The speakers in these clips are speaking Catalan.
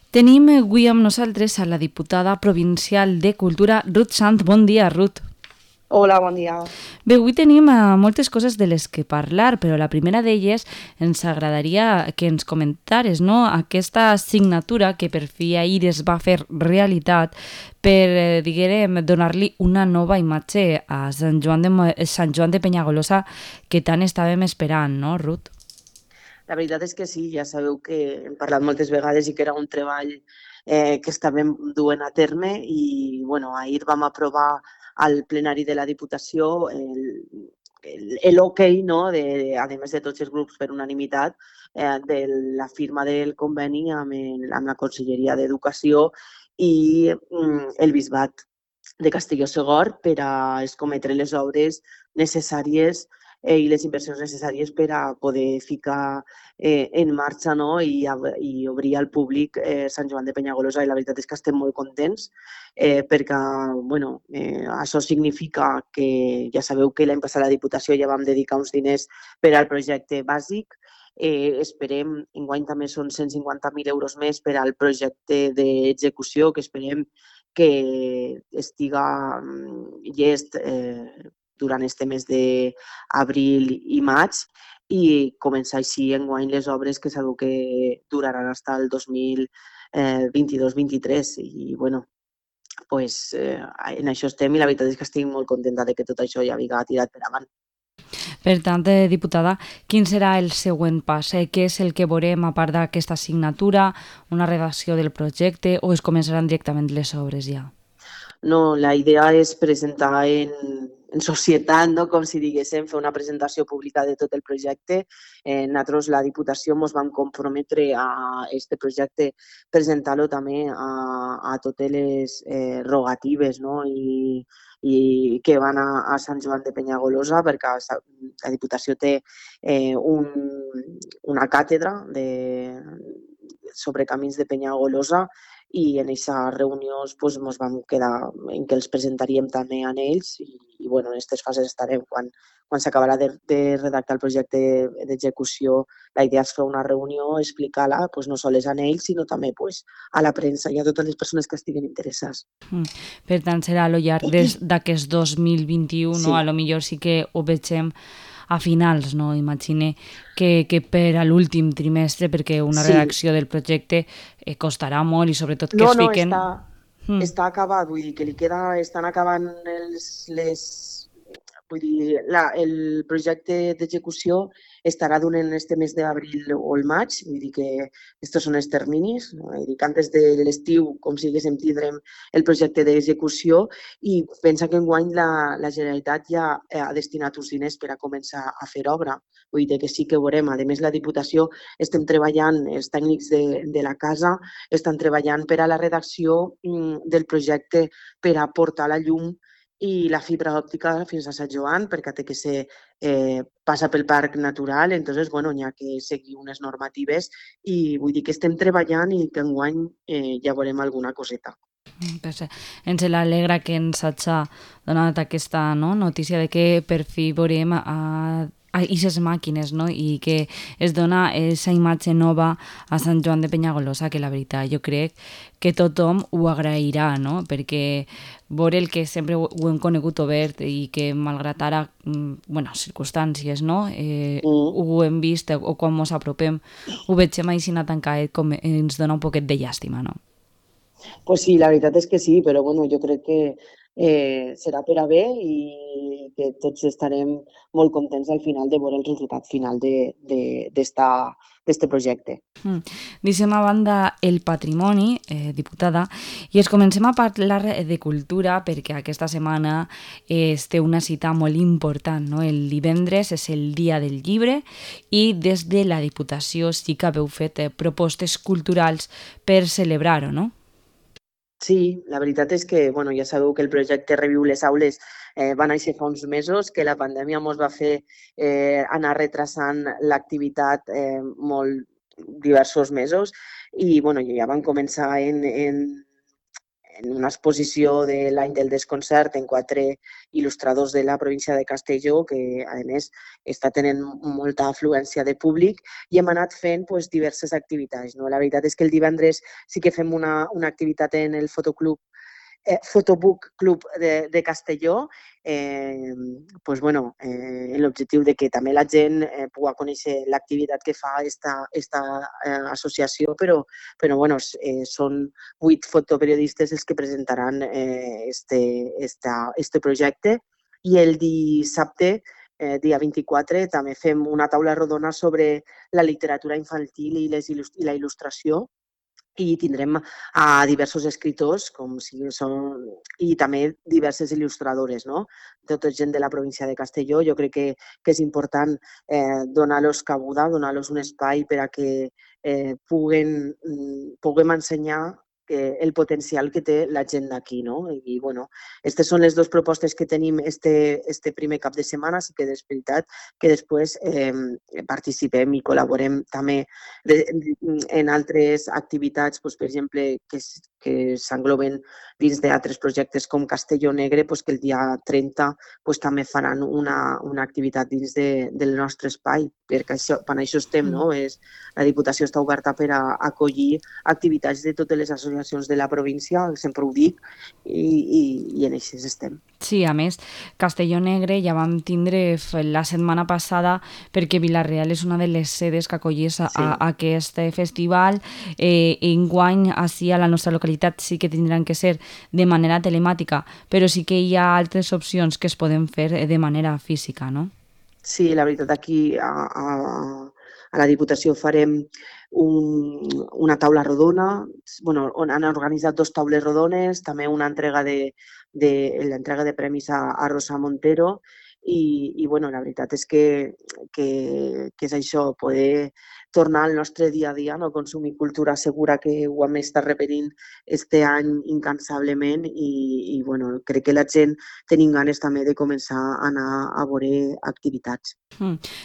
Tenim avui amb nosaltres a la diputada provincial de Cultura, Ruth Sant. Bon dia, Ruth. Hola, bon dia. Bé, avui tenim moltes coses de les que parlar, però la primera d'elles ens agradaria que ens comentares, no?, aquesta assignatura que per fi ahir es va fer realitat per, diguem, donar-li una nova imatge a Sant Joan de Penyagolosa que tant estàvem esperant, no, Ruth? La veritat és que sí, ja sabeu que hem parlat moltes vegades i que era un treball que estàvem duent a terme i bueno, ahir vam aprovar al plenari de la Diputació l'ok, no, a més de tots els grups per unanimitat, de la firma del conveni amb la Conselleria d'Educació i el Bisbat de Castelló-Segor per a escometre les obres necessàries i les inversions necessàries per a poder ficar en marxa, no? I obrir al públic Sant Joan de Penyagolosa. I la veritat és que estem molt contents perquè bueno, això significa que ja sabeu que l'any passat a la Diputació ja vam dedicar uns diners per al projecte bàsic. Esperem, enguany també són 150.000 euros més per al projecte d'execució, que esperem que estiga llest durant este mes d'abril i maig i començar així enguany les obres que sabeu que duraran fins al 2022-23 i bueno, pues, en això estem i la veritat és que estic molt contenta de que tot això ja hagi tirat per avant. Per tant, diputada, quin serà el següent pas? Què és el que veurem a part d'aquesta assignatura, una redacció del projecte o es començaran directament les obres ja? No, la idea és presentar en societat, no? Com si diguéssim, fer una presentació pública de tot el projecte. Nosaltres, la Diputació, ens vam comprometre a aquest projecte presentar-lo també a totes les rogatives, no? I que van a Sant Joan de Penyagolosa, perquè la Diputació té una càtedra sobre camins de Penyagolosa i en aquesta reunió pues, ens vam quedar en que els presentaríem també a ells i bueno, en aquestes fases estarem. Quan s'acabarà de redactar el projecte d'execució, la idea és fer una reunió, explicar-la pues, no sols a ells, sinó també pues, a la premsa i a totes les persones que estiguen interessades. Per tant, serà a lo llarg d'aquest 2021, Sí. no? A lo millor sí que ho vegem a finals, no? Imagine que per a l'últim trimestre, perquè una Sí. redacció del projecte costarà molt i sobretot que No, es no, fiquen... està acabat, vull dir que estan acabant vull dir, el projecte d'execució estarà durant este mes d'abril o el maig, vull dir que estos són els terminis, no? Vull dir que antes de l'estiu, com si diguéssim, tindrem el projecte d'execució i pensa que enguany la Generalitat ja ha destinat uns diners per a començar a fer obra. Vull dir que sí que ho veurem. A més, la Diputació estem treballant, els tècnics de la casa estan treballant per a la redacció del projecte per a portar la llum i la fibra òptica fins a Sant Joan, perquè té que ser, passa pel parc natural, entonces, bueno, n'hi ha que seguir unes normatives i vull dir que estem treballant i que enguany ja veurem alguna coseta. Ens alegra que ens hagi donat aquesta, no, notícia de que per fi veurem a aquestes màquines, no? I que es dona aquesta imatge nova a Sant Joan de Penyagolosa, que la veritat jo crec que tothom ho agrairà, no? Perquè veure el que sempre ho hem conegut obert i que malgrat ara, bueno, circumstàncies, no? Ho hem vist o quan ens apropem ho vegem així tancat com ens dona un poquet de llàstima, no? Pues sí, la veritat és que sí, però bueno, jo crec que serà per a bé i que tots estarem molt contents al final de veure el resultat final d'este projecte. Deixem a banda el patrimoni, diputada, i es comencem a parlar de cultura perquè aquesta setmana es té una cita molt important, no? El divendres és el dia del llibre i des de la Diputació sí que haveu fet propostes culturals per celebrar-ho, no? Sí, la veritat és que bueno, ja sabeu que el projecte Reviu les Aules va néixer fa uns mesos, que la pandèmia ens va fer anar retrasant l'activitat diversos mesos i bueno, ja van començar en una exposició de l'any del desconcert en 4 il·lustradors de la província de Castelló, que a més està tenint molta afluència de públic, i hem anat fent pues, diverses activitats. No? La veritat és que el divendres sí que fem una activitat en el fotoclub Photobook Club de Castelló, pues bueno, l'objectiu de que també la gent pugui conèixer l'activitat que fa esta associació, però bueno, són 8 fotoperiodistes els que presentaran este projecte. I el dissabte, dia 24, també fem una taula rodona sobre la literatura infantil i la il·lustració, i tindrem a diversos escriptors i també diverses il·lustradores, no? Tota gent de la província de Castelló. Jo crec que és important donar-los cabuda, donar-los un espai per a que puguem ensenyar el potencial que té la gent d'aquí, no? I, bueno, aquestes són les dues propostes que tenim este primer cap de setmana, sí que és veritat que després participem i col·laborem també en altres activitats, doncs, per exemple, que s'engloben dins d'altres projectes com Castelló Negre, doncs, que el dia 30 doncs, també faran una activitat dins del nostre espai, perquè per això estem, no? La Diputació està oberta per a acollir activitats de totes les associacions de la província, sempre ho dic, i en això estem. Sí, a més, Castelló Negre ja vam tindre la setmana passada perquè Vila-real és una de les sedes que acollís aquest festival. Enguany, així a la nostra localitat sí que tindran que ser de manera telemàtica, però sí que hi ha altres opcions que es poden fer de manera física, no? Sí, la veritat, aquí a la Diputació farem una taula rodona, bueno, on han organitzat 2 taules rodones, també una entrega l'entrega de premis a Rosa Montero, i bueno, la veritat és que és això, poder tornar al nostre dia a dia, no? Consumir cultura segura, que ho hem estat repetint este any incansablement, i bueno, crec que la gent tenim ganes també de començar a anar a veure activitats.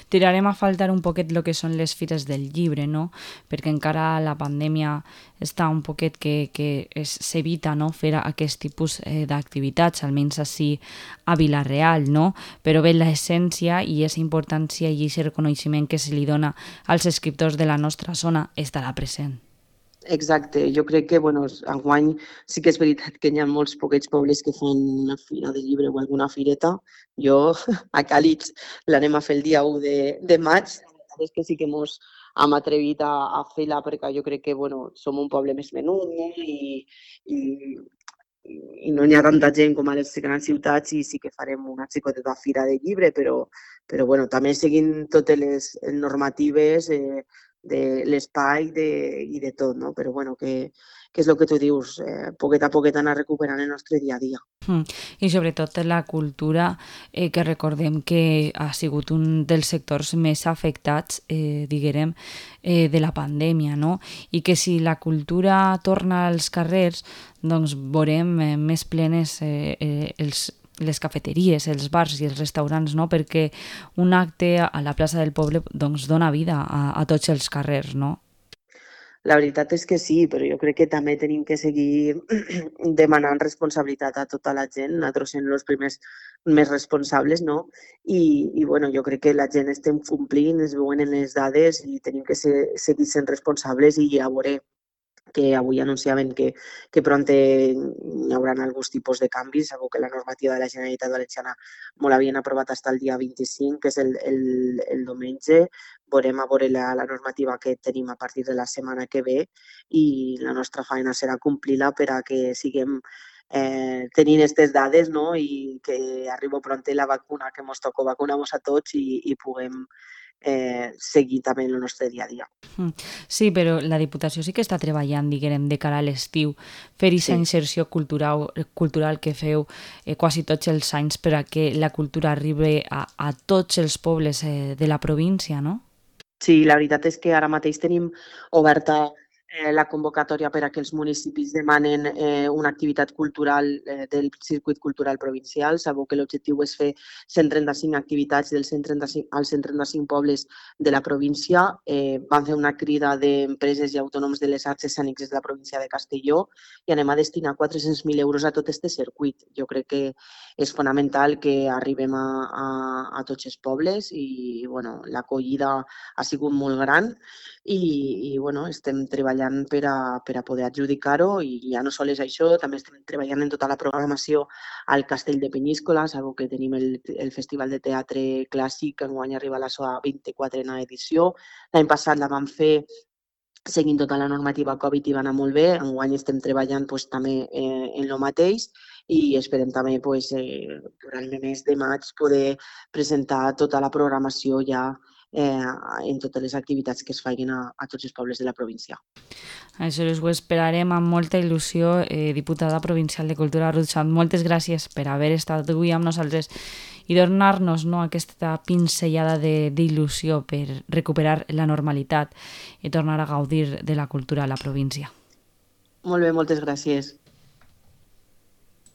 Tirarem a faltar un poquet el que són les fires del llibre, no? Perquè encara la pandèmia està un poquet que s'evita, no? Fer aquest tipus d'activitats, almenys així a Vila-real, no? Però bé, l'essència i aquesta importància i aquest reconeixement que se li dona als escriptors de la nostra zona estarà present. Exacte, jo crec que enguany sí que és veritat que hi ha molts poquets pobles que fan una fira de llibre o alguna fireta. Jo a Càlig l'anem a fer el dia 1 de maig. La veritat és que sí que mos hem atrevit a fer-la perquè jo crec que som un poble més menut, no? I no hi ha tanta gent com a les grans ciutats, i sí que farem una xicoteta fira de llibre, però també seguint totes les normatives de l'espai i de tot, no? Però que és el que tu dius, poquet a poquet anar recuperant el nostre dia a dia. I sobretot la cultura, que recordem que ha sigut un dels sectors més afectats, diguem, de la pandèmia, no? I que si la cultura torna als carrers, doncs veurem més plenes les cafeteries, els bars i els restaurants, no? Perquè un acte a la plaça del poble doncs, dona vida a tots els carrers, no? La veritat és que sí, però jo crec que també tenim que seguir demanant responsabilitat a tota la gent. Nosaltres som els primers més responsables, no? I jo crec que la gent estem complint, es veuen en les dades, i tenim que seguir sent responsables, i a veure que avui anunciaven que pront hi haurà alguns tipus de canvis. Sabeu que la normativa de la Generalitat Valenciana molt l'havien aprovat fins al dia 25, que és el diumenge. Veurem a veure la normativa que tenim a partir de la setmana que ve, i la nostra feina serà complir-la per a que siguem tenint aquestes dades, no? I que arribi pront la vacuna, que ens toca vacunar-nos a tots, i puguem seguir també el nostre dia a dia. Sí, però la Diputació sí que està treballant, diguem, de cara a l'estiu, fer aquesta inserció cultural que feu quasi tots els anys per a que la cultura arribi a tots els pobles de la província, no? Sí, la veritat és que ara mateix tenim oberta la convocatòria per a que els municipis demanen una activitat cultural del circuit cultural provincial. Sabeu que l'objectiu és fer 135 activitats dels 135, als 135 pobles de la província. Van fer una crida d'empreses i autònoms de les arts escèniques de la província de Castelló i anem a destinar 400.000 euros a tot aquest circuit. Jo crec que és fonamental que arribem a tots els pobles i bueno, l'acollida ha sigut molt gran i bueno, estem treballant per a poder adjudicar-ho i ja no sols això, també estem treballant en tota la programació al Castell de Penyíscola. Sabeu que tenim el Festival de Teatre Clàssic, que enguany arriba a la seva 24a edició. L'any passat la vam fer seguint tota la normativa Covid i va anar molt bé. Enguany estem treballant pues, també en el mateix i esperem també pues, durant el mes de maig poder presentar tota la programació ja en totes les activitats que es facin a tots els pobles de la província. Això ho esperarem amb molta il·lusió. Diputada provincial de Cultura, Ruth Sant, moltes gràcies per haver estat avui amb nosaltres i donar-nos aquesta pinzellada d'il·lusió per recuperar la normalitat i tornar a gaudir de la cultura a la província. Molt bé, moltes gràcies.